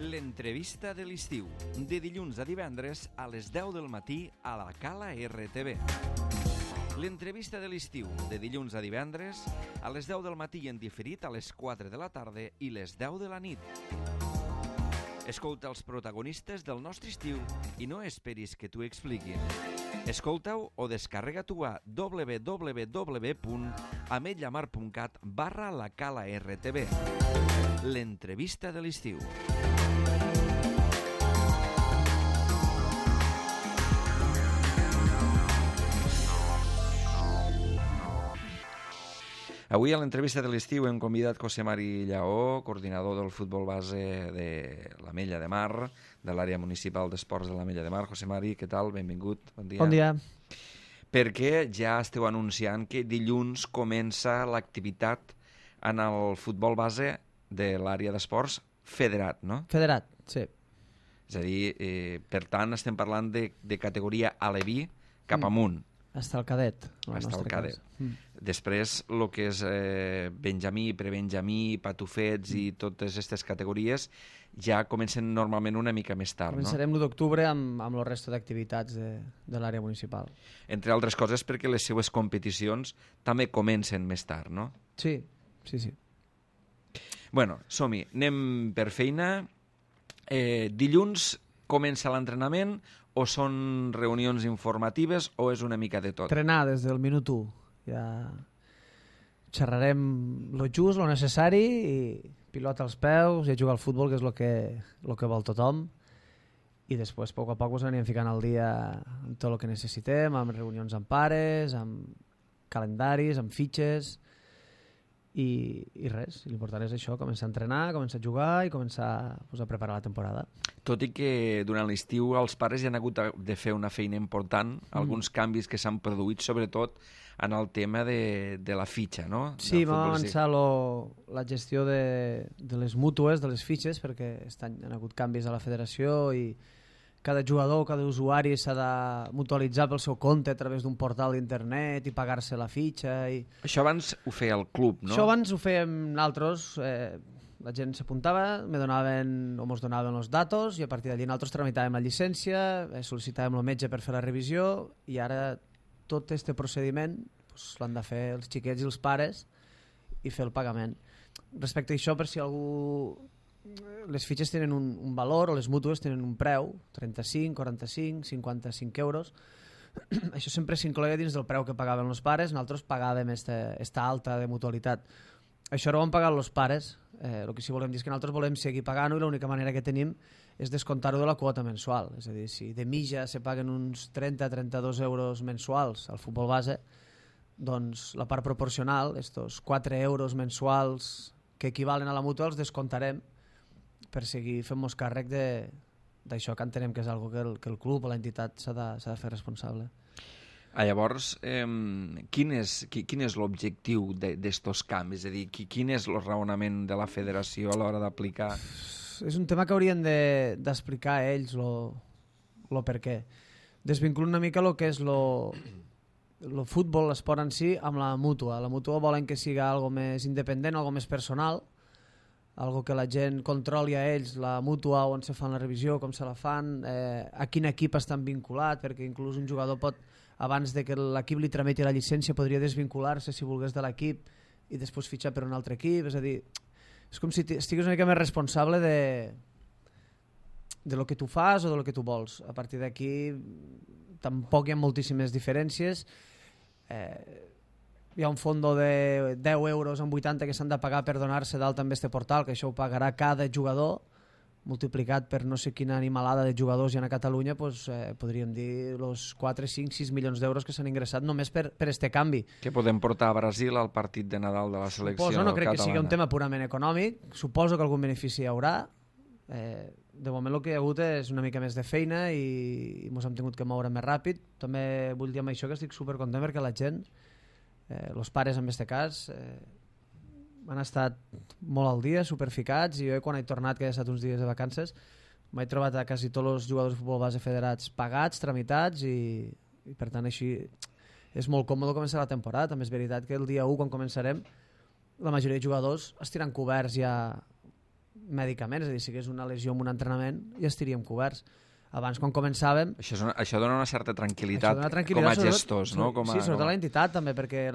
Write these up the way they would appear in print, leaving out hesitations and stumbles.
L'entrevista de l'estiu, de dilluns a divendres a les 10 del matí a la Cala RTV. L'entrevista de l'estiu, de dilluns a divendres a les 10 del matí i en diferit a les 4 de la tarda i les 10 de la nit. Escolta els protagonistes del nostre estiu i no esperis que t'ho expliquin. Escolta-ho o descarrega-t'ho a www.ametlllamar.cat/la Cala RTV. L'entrevista de l'estiu. Avui a l'entrevista de l'estiu hem convidat José Mari Lleó, coordinador del futbol base de l'Ametlla de Mar, de l'àrea municipal d'esports de l'Ametlla de Mar. José Mari, què tal? Benvingut. Bon dia. Bon dia. Perquè ja esteu anunciant que dilluns comença l'activitat en el futbol base de l'àrea d'esports federat, no? Federat, sí. És a dir, per tant, estem parlant de categoria aleví cap amunt. Hasta el cadet. Hasta el cadet. Després, el que és benjamí, prebenjamí, patufets i totes aquestes categories ja comencen normalment una mica més tard, no? Començarem l'1 d'octubre amb el resto d'activitats de l'àrea municipal. Entre altres coses perquè les seues competicions també comencen més tard, no? Sí, sí, sí. Bueno, som-hi. Anem per feina. Dilluns comença l'entrenament o són reunions informatives o és una mica de tot? Entrenar des del minut 1. Ja xerrarem lo just, lo necessari, i pilota als peus, i a jugar al futbol, que és lo que vol tothom. I després, a poc a poc, ens anirem ficant al dia amb tot el que necessitem, amb reunions amb pares, amb calendaris, amb fitxes, i res. L'important és això, començar a entrenar, començar a jugar i començar a preparar la temporada. Tot i que durant l'estiu els pares ja han hagut de fer una feina important, alguns canvis que s'han produït, sobretot en el tema de la fitxa, no? Sí, vam avançar la gestió de les mútues, de les fitxes, perquè aquest any han hagut canvis a la federació i cada jugador, cada usuari s'ha de mutualitzar pel seu compte a través d'un portal d'internet i pagar-se la fitxa. Això abans ho feia el club, no? Això abans ho fèiem nosaltres. La gent s'apuntava, mos donaven els datos i a partir d'allí nosaltres tramitàvem la llicència, sol·licitàvem el metge per fer la revisió i ara tot aquest procediment l'han de fer els xiquets i els pares i fer el pagament. Respecte a això, per si algú... Les fitxes tenen un valor, o les mútues tenen un preu, 35, 45, 55 euros. Això sempre s'incloïa dins del preu que pagaven els pares, nosaltres pagàvem esta alta de mutualitat. Això ara ho han pagat els pares, el que sí volem dir és que nosaltres volem seguir pagant-ho i l'única manera que tenim és descomptar-ho de la quota mensual. És a dir, si de mitja se paguen uns 30-32 euros mensuals al futbol base, doncs la part proporcional, estos 4 euros mensuals que equivalen a la mútua, els descomptarem per seguir fent-nos càrrec d'això que entenem que és algo que el club o l'entitat s'ha de fer responsable. Llavors, quin és l'objectiu d'estos canvis? És a dir, quin és el raonament de la federació a l'hora d'aplicar? És un tema que haurien d'explicar a ells el per què. Desvinculant una mica el que és el futbol, l'esport en si, amb la mútua. La mútua volen que siga algo més independent, algo més personal, algo que la gent controli a ells, la mútua, on se fan la revisió, com se la fan, a quin equip estan vinculat, perquè inclús un jugador pot, abans de que l'equip li tramiti la llicència, podria desvincular-se si volgués de l'equip i després fitxar per un altre equip. És a dir, és com si estigués una mica més responsable de lo que tu fas o de lo que tu vols. A partir d'aquí tampoc hi ha moltíssimes diferències. Hi ha un fondo de 10 euros amb 80 que s'han de pagar per donar-se d'alta amb este portal, que això ho pagarà cada jugador, multiplicat per no sé quina animalada de jugadors hi ha a Catalunya, podríem dir els 4, 5, 6 milions d'euros que s'han ingressat només per este canvi. Que podem portar a Brasil al partit de Nadal de la selecció catalana. No crec que sigui un tema purament econòmic, suposo que algun benefici hi haurà. De moment el que hi ha hagut és una mica més de feina i ens hem tingut que moure més ràpid. També vull dir amb això que estic supercontent perquè la gent, els pares en aquest cas, han estat molt al dia, superficats, i jo quan he tornat, que he estat uns dies de vacances, m'he trobat a quasi tots els jugadors de futbol base federats pagats, tramitats, i per tant així és molt còmode començar la temporada. També és veritat que el dia 1, quan començarem, la majoria de jugadors estiran coberts ja mèdicament, és a dir, si hagués una lesió en un entrenament ja estaríem coberts. Abans, quan començàvem... Això dona una certa tranquil·litat, com a gestors, no? Sí, sobretot a l'entitat també, perquè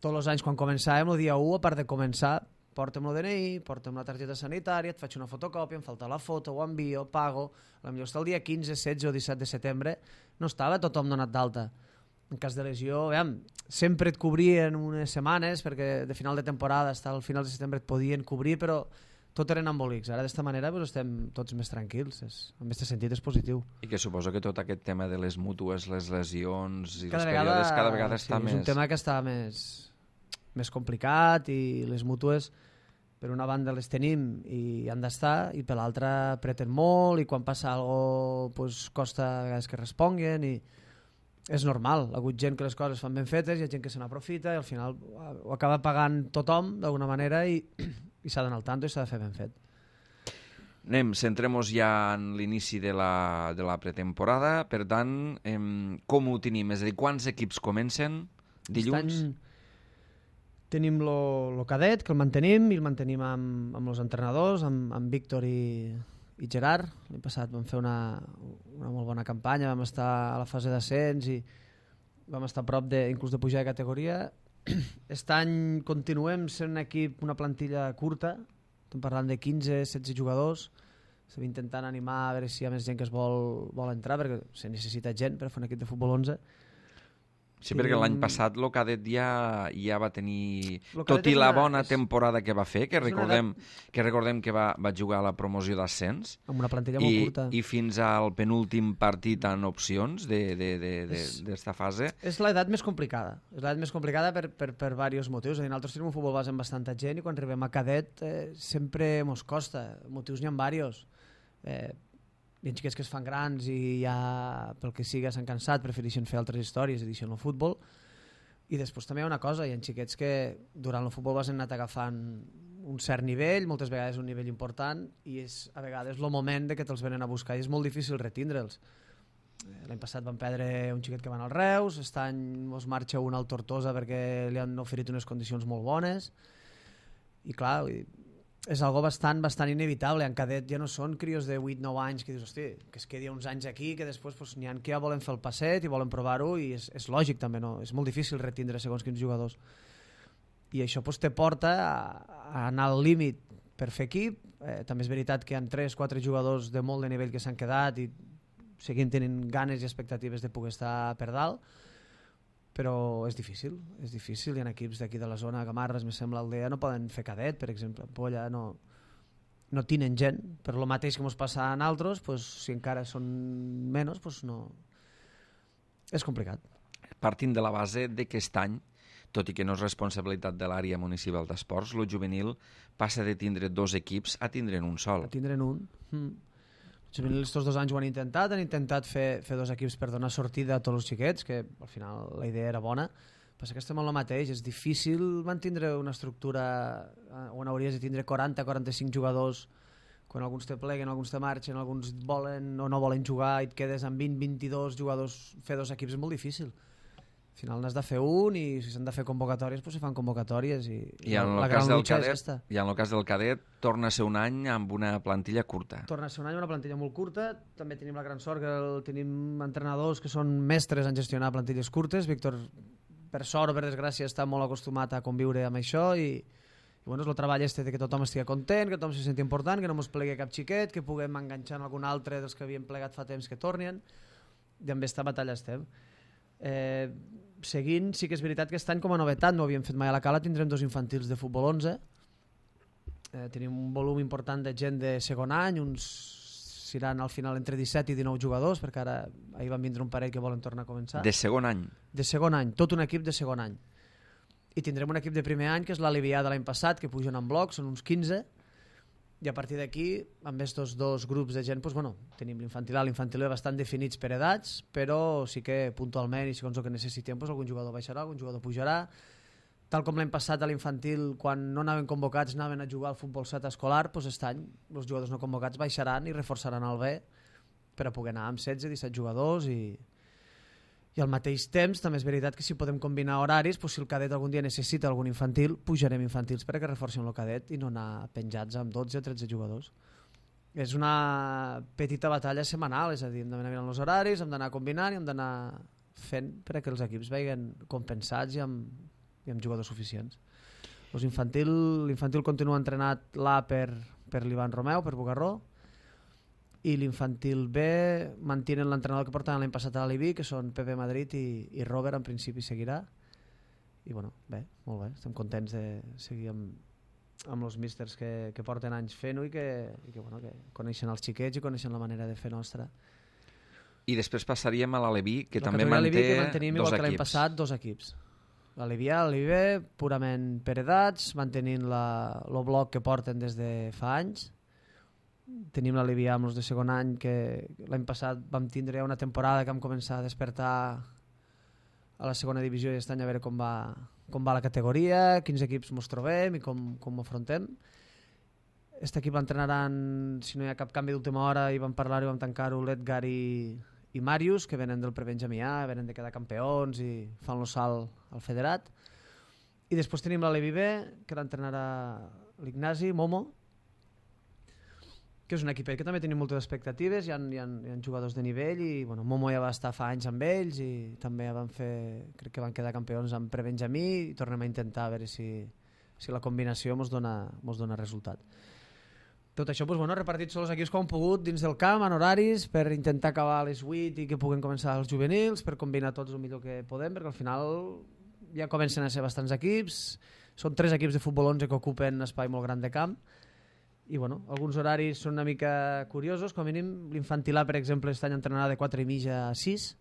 tots els anys quan començàvem, el dia 1, a part de començar, porta'm el DNI, porta'm la targeta sanitària, et faig una fotocòpia, em falta la foto, ho envio, pago... Potser està el dia 15, 16 o 17 de setembre, no estava tothom donat d'alta. En cas de lesió, sempre et cobrien unes setmanes, perquè de final de temporada, fins al final de setembre et podien cobrir, però tot eren embolics. Ara d'esta manera estem tots més tranquils. En aquest sentit és positiu. I que suposo que tot aquest tema de les mútues, les lesions i els períodes cada vegada està més... És un tema que està més complicat i les mútues per una banda les tenim i han d'estar i per l'altra apreten molt i quan passa alguna cosa costa a vegades que responguin i és normal. Ha hagut gent que les coses fan ben fetes, hi ha gent que se n'aprofita i al final ho acaba pagant tothom d'alguna manera i s'ha d'anar al tanto i s'ha de fer ben fet. Centrem-nos ja en l'inici de la pretemporada. Per tant, com ho tenim? És a dir, quants equips comencen dilluns? Aquest any tenim el cadet, que el mantenim, i el mantenim amb els entrenadors, amb Víctor i Gerard. L'any passat vam fer una molt bona campanya, vam estar a la fase d'ascens i vam estar a prop inclús de pujar de categoria. Aquest any continuem sent un equip, una plantilla curta, estem parlant de 15-16 jugadors, estem intentant animar a veure si hi ha més gent que es vol entrar, perquè se necessita gent per fer un equip de futbol 11. Sí, perquè l'any passat el cadet ja va tenir, tot i la bona temporada que va fer, que recordem que va jugar a la promoció d'ascens, amb una plantilla molt curta, i fins al penúltim partit en opcions d'esta fase. És l'edat més complicada. És l'edat més complicada per diversos motius. És a dir, nosaltres tenim un futbol base amb bastanta gent i quan arribem a cadet sempre mos costa. Motius n'hi ha diversos. Hi ha xiquets que es fan grans i ja pel que siga s'han cansat, prefereixen fer altres històries i deixen el futbol. I després també hi ha una cosa, hi ha xiquets que durant el futbol han anat agafant un cert nivell, moltes vegades un nivell important, i és a vegades el moment de que te'ls venen a buscar i és molt difícil retindre'ls. L'any passat van perdre un xiquet que van al Reus, aquest any ens marxa un al Tortosa perquè li han oferit unes condicions molt bones i clar, és algo bastant inevitable. En cadet ja no són crios de 8-9 anys que dius, hosti, que es quedi uns anys aquí, que després n'hi ha que ja volen fer el passet i volen provar-ho i és lògic també, no? És molt difícil retindre segons quins jugadors. I això te porta a anar al límit per fer equip. També és veritat que hi ha 3-4 jugadors de molt de nivell que s'han quedat i seguint tenint ganes i expectatives de poder estar per dalt, però és difícil. Hi ha equips d'aquí de la zona, Gamarres, me sembla, Aldea, no poden fer cadet, per exemple. Polla no tenen gent. Per lo mateix que ens passa en altres, si encara són menys, no... És complicat. Partint de la base d'aquest any, tot i que no és responsabilitat de l'àrea municipal d'esports, el juvenil passa de tindre 2 equips a tindre'n un sol. A tindre'n un. Els 2 anys ho han intentat fer 2 equips per donar sortida a tots els xiquets, que al final la idea era bona. Passa que estem en el mateix, és difícil mantindre una estructura on hauries de tindre 40-45 jugadors, quan alguns te pleguen, alguns te marxen, alguns volen o no volen jugar i et quedes amb 20-22 jugadors. Fer 2 equips és molt difícil. Al final n'has de fer un i si s'han de fer convocatòries, se fan convocatòries i la gran lucha és aquesta. I en el cas del cadet torna a ser un any amb una plantilla curta. Torna a ser un any amb una plantilla molt curta. També tenim la gran sort que tenim entrenadors que són mestres en gestionar plantilles curtes. Víctor, per sort o per desgràcia, està molt acostumat a conviure amb això i és el treball de que tothom estigui content, que tothom se senti important, que no ens plegui cap xiquet, que puguem enganxar en algun altre dels que havien plegat fa temps que tornin, i amb aquesta batalla estem. Seguint, sí que és veritat que aquest any com a novetat no ho havíem fet mai a la Cala, tindrem 2 infantils de futbol 11. Tenim un volum important de gent de segon any, uns seran al final entre 17 i 19 jugadors, perquè ara ahir van vindre un parell que volen tornar a començar. De segon any? De segon any, tot un equip de segon any. I tindrem un equip de primer any, que és l'Alivià de l'any passat, que pugen en bloc, són uns 15, i a partir d'aquí, amb aquests 2 grups de gent, tenim l'infantil A i l'infantil B bastant definits per edats, però sí que puntualment i segons el que necessitem, algun jugador baixarà, algun jugador pujarà. Tal com l'any passat a l'infantil, quan no anaven convocats, anaven a jugar al futbol 7 escolar, aquest any els jugadors no convocats baixaran i reforçaran el B per a poder anar amb 16-17 jugadors i I al mateix temps també és veritat que si podem combinar horaris, si el cadet algun dia necessita algun infantil, pujarem infantils perquè reforcem el cadet i no anar penjats amb 12 o 13 jugadors. És una petita batalla setmanal, és a dir, hem d'anar mirant els horaris, hem d'anar combinant i hem d'anar fent perquè els equips vegin compensats i amb jugadors suficients. L'infantil continua entrenat l'A per l'Ivan Romeu, per Bugarró, i l'infantil B mantenen l'entrenador que portaven l'any passat a l'Alibi, que són Pepe Madrid i Robert, en principi seguirà. I bueno, bé, molt bé, estem contents de seguir amb els místers que porten anys fent-ho i que coneixen els xiquets i coneixen la manera de fer nostra. I després passaríem a l'Aleví, que també manté que dos mantenim, igual equips. Que l'any passat, 2 equips. L'Aleví A, l'Aleví B, purament per edats, mantenint el bloc que porten des de fa anys. Tenim l'Aleví A amb els de segon any, que l'any passat vam tindre una temporada que vam començar a despertar a la segona divisió i aquest any a veure com va la categoria, quins equips ens trobem i com ho afrontem. Aquest equip l'entrenaran, si no hi ha cap canvi d'última hora, i vam parlar-ho i vam tancar-ho l'Edgar i Màrius, que venen del Prebenjamí A, venen de quedar campions i fan el salt al federat. I després tenim l'Aleví B, que l'entrenarà l'Ignasi, Momo, que és un equipet que també tenim moltes expectatives, hi ha jugadors de nivell i Momo ja va estar fa anys amb ells i també crec que van quedar campions amb Prebenjamí i tornem a intentar a veure si la combinació ens dona resultat. Tot això repartits tots els equips com han pogut dins del camp, en horaris, per intentar acabar a les 8 i que puguen començar els juvenils, per combinar tots el millor que podem, perquè al final ja comencen a ser bastants equips, són 3 equips de futbol 11 que ocupen un espai molt gran de camp. I alguns horaris són una mica curiosos, com a mínim l'infantil A, per exemple, aquest any entrenarà de 4:30 a 6.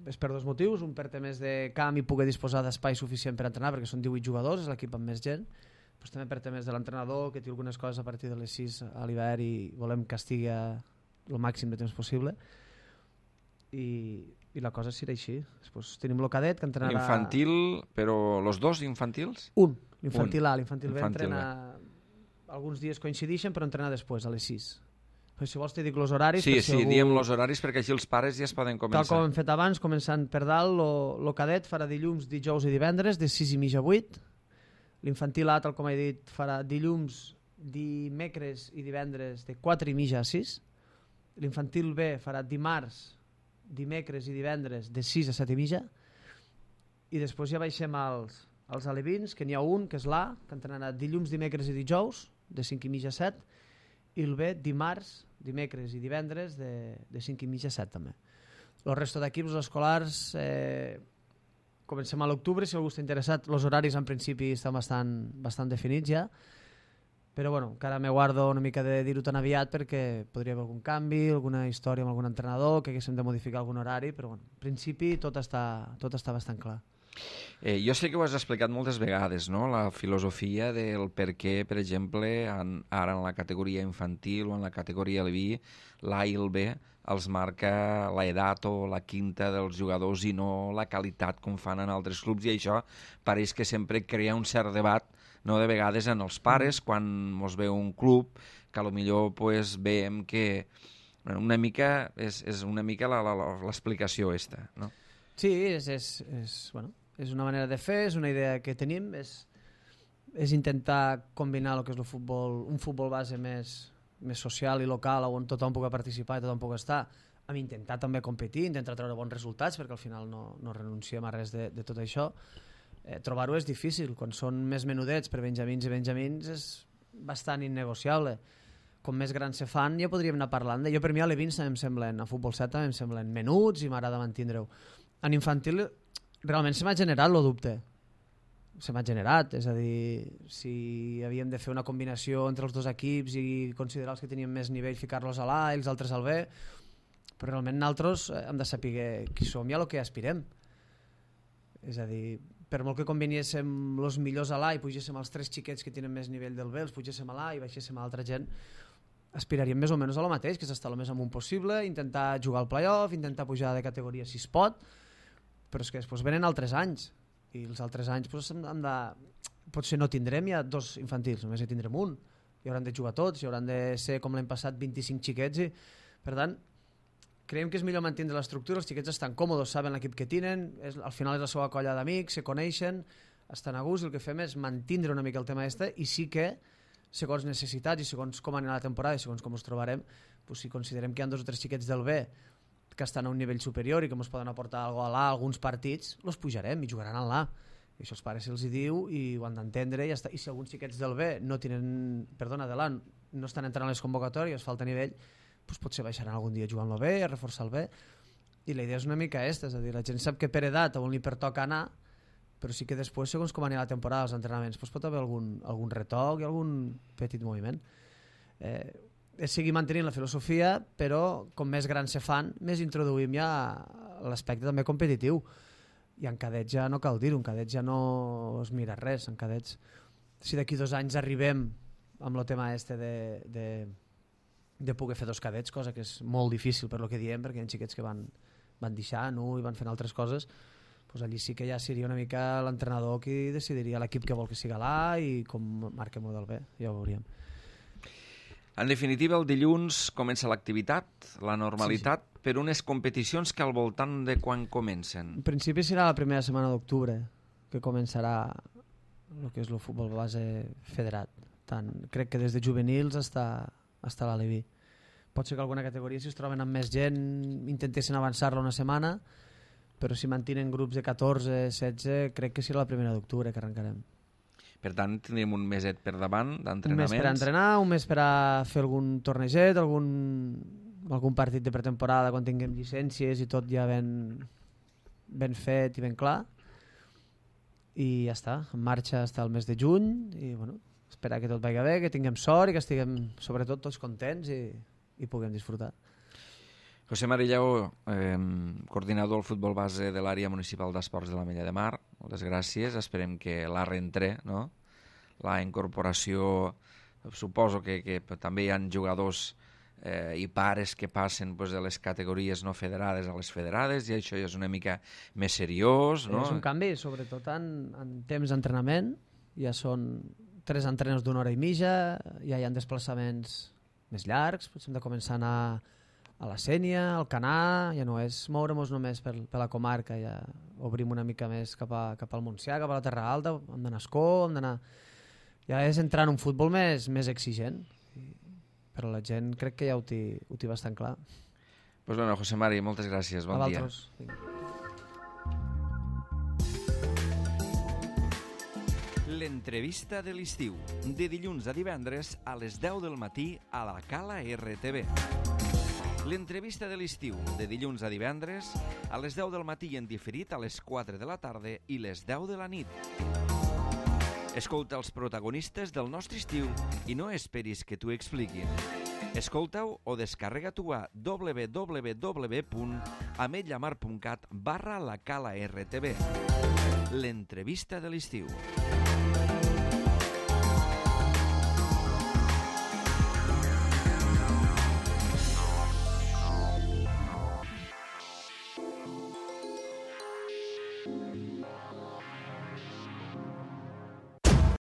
És per 2 motius, un per temes de camp i poder disposar d'espai suficient per entrenar, perquè són 18 jugadors, és l'equip amb més gent, però també per temes de l'entrenador, que té algunes coses a partir de les 6 a l'hivern i volem que estigui el màxim de temps possible. I la cosa serà així. Després tenim el cadet que entrenarà... Infantil, però els 2 infantils? L'infantil A, l'infantil B entrena... Alguns dies coincideixen, però entrena després, a les 6. Però si vols te dic els horaris... Sí, diem els horaris perquè així els pares ja es poden començar. Tal com hem fet abans, començant per dalt, el cadet farà dilluns, dijous i divendres, de 6:30 a 8. L'infantil A, tal com he dit, farà dilluns, dimecres i divendres de 4:30 a 6. L'infantil B farà dimarts, dimecres i divendres de 6 a 7:30. I després ja baixem als alevins, que n'hi ha un, que és l'A, que entrenarà dilluns, dimecres i dijous, de 5:30 a 7, i el B dimarts, dimecres i divendres de 5:30 a 7 també. El resto d'equips escolars comencem a l'octubre, si algú està interessat. Els horaris en principi estan bastant definits ja, però encara me guardo una mica de dir-ho tan aviat perquè podria haver algun canvi, alguna història amb algun entrenador, que haguéssim de modificar algun horari, però en principi tot està bastant clar. Jo sé que ho has explicat moltes vegades, no? La filosofia del per què, per exemple, ara en la categoria infantil o en la categoria Leví, l'A i el B els marca l'edat o la quinta dels jugadors i no la qualitat com fan en altres clubs, i això pareix que sempre crea un cert debat, no, de vegades en els pares quan mos veu un club que potser veiem que una mica és una mica l'explicació aquesta, no? Sí, és una manera de fer, és una idea que tenim, és intentar combinar el que és un futbol base més social i local, on tothom pugui participar i tothom pugui estar, amb intentar també competir, intentar treure bons resultats, perquè al final no renunciem a res de tot això. Trobar-ho és difícil, quan són més menudets per benjamins i benjamins és bastant innegociable. Com més grans se fan ja podríem anar parlant de... Jo per mi a l'Evins em semblen, a Futbol 7 em semblen menuts i m'agrada mantindre-ho. En infantil realment se m'ha generat el dubte. Se m'ha generat, és a dir, si havíem de fer una combinació entre els 2 equips i considerar els que tenien més nivell, ficar-los a l'A i els altres al B, però realment nosaltres hem de saber qui som i a lo que aspirem. És a dir, per molt que combinéssim els millors a l'A i pugéssim els 3 xiquets que tenen més nivell del B, els pugéssim a l'A i baixéssim a altra gent, aspiraríem més o menys a lo mateix, que és estar el més amunt possible, intentar jugar al play-off, intentar pujar de categoria si es pot, però és que després venen altres anys, i els altres anys potser no tindrem ja 2 infantils, només en tindrem un, i hauran de jugar tots, i hauran de ser com l'any passat 25 xiquets, i per tant creiem que és millor mantenir l'estructura, els xiquets estan còmodes, saben l'equip que tenen, al final és la seva colla d'amics, se coneixen, estan a gust, el que fem és mantindre una mica el tema i sí que, segons necessitats i segons com anirà la temporada i segons com ens trobarem, si considerem que hi ha 2 o 3 xiquets del B que estan a un nivell superior i que ens poden aportar alguna cosa a l'A, alguns partits, els pujarem i jugaran a l'A. I això els pares se'ls diu i ho han d'entendre i ja està. I si alguns xiquets del B de l'A no estan entrant a les convocatòries, falta nivell, potser baixaran algun dia jugant el B, a reforçar el B. I la idea és una mica aquesta, és a dir, la gent sap que per edat on li pertoca anar, però sí que després, segons com anirà la temporada, els entrenaments, pot haver algun retoc i algun petit moviment. Seguir mantenint la filosofia, però com més grans se fan, més introduïm ja l'aspecte també competitiu. I en cadets ja no cal dir-ho, en cadets ja no es mira res, en cadets, si d'aquí 2 anys arribem amb el tema de poder fer 2 cadets, cosa que és molt difícil per lo que diem, perquè hi ha xiquets que van deixant i van fent altres coses, doncs allí sí que ja seria una mica l'entrenador qui decidiria l'equip que vol que siga l'A i com marca el model B, ja ho veuríem. En definitiva, el dilluns comença l'activitat, la normalitat, sí. Per unes competicions que al voltant de quan comencen? En principi serà la primera setmana d'octubre que començarà el que és el futbol base federat. Crec que des de juvenils hasta l'Aleví. Pot ser que alguna categoria, si es troben amb més gent, intentessin avançar-la una setmana, però si mantenen grups de 14, 16, crec que serà la primera d'octubre que arrencarem. Per tant, tindrem un meset per davant d'entrenaments. Un mes per entrenar, un mes per a fer algun torneget, algun partit de pretemporada quan tinguem llicències i tot ja ben fet i ben clar. I ja està, en marxa està el mes de juny i bueno, esperar que tot vagi bé, que tinguem sort i que estiguem sobretot tots contents i puguem disfrutar. José Mari Lleó, coordinador del futbol base de l'àrea municipal d'esports de l'Ametlla de Mar, moltes gràcies, esperem que la reentré, no? La incorporació, suposo que també hi ha jugadors i pares que passen de les categories no federades a les federades i això ja és una mica més seriós, no? És un canvi, sobretot en temps d'entrenament, ja són 3 entrenaments d'1 hora i mitja, ja hi ha desplaçaments més llargs, potser hem de començar a anar a la Sénia, al Canà, ja no és moure'ns només per la comarca, ja obrim una mica més cap al Montsià, cap a la Terra Alta, hem d'anar a Escó, ja és entrar en un futbol més exigent, però la gent crec que ja ho té bastant clar. Pues bueno, José Mari, moltes gràcies, bon dia. L'entrevista de l'estiu, de dilluns a divendres a les 10 del matí a la Cala RTV. L'entrevista de l'estiu, de dilluns a divendres, a les 10 del matí en diferit a les 4 de la tarda i les 10 de la nit. Escolta els protagonistes del nostre estiu i no esperis que t'ho expliquin. Escolta-ho o descarrega-t'ho a www.ametlllamar.cat/la Cala RTV. L'entrevista de l'estiu.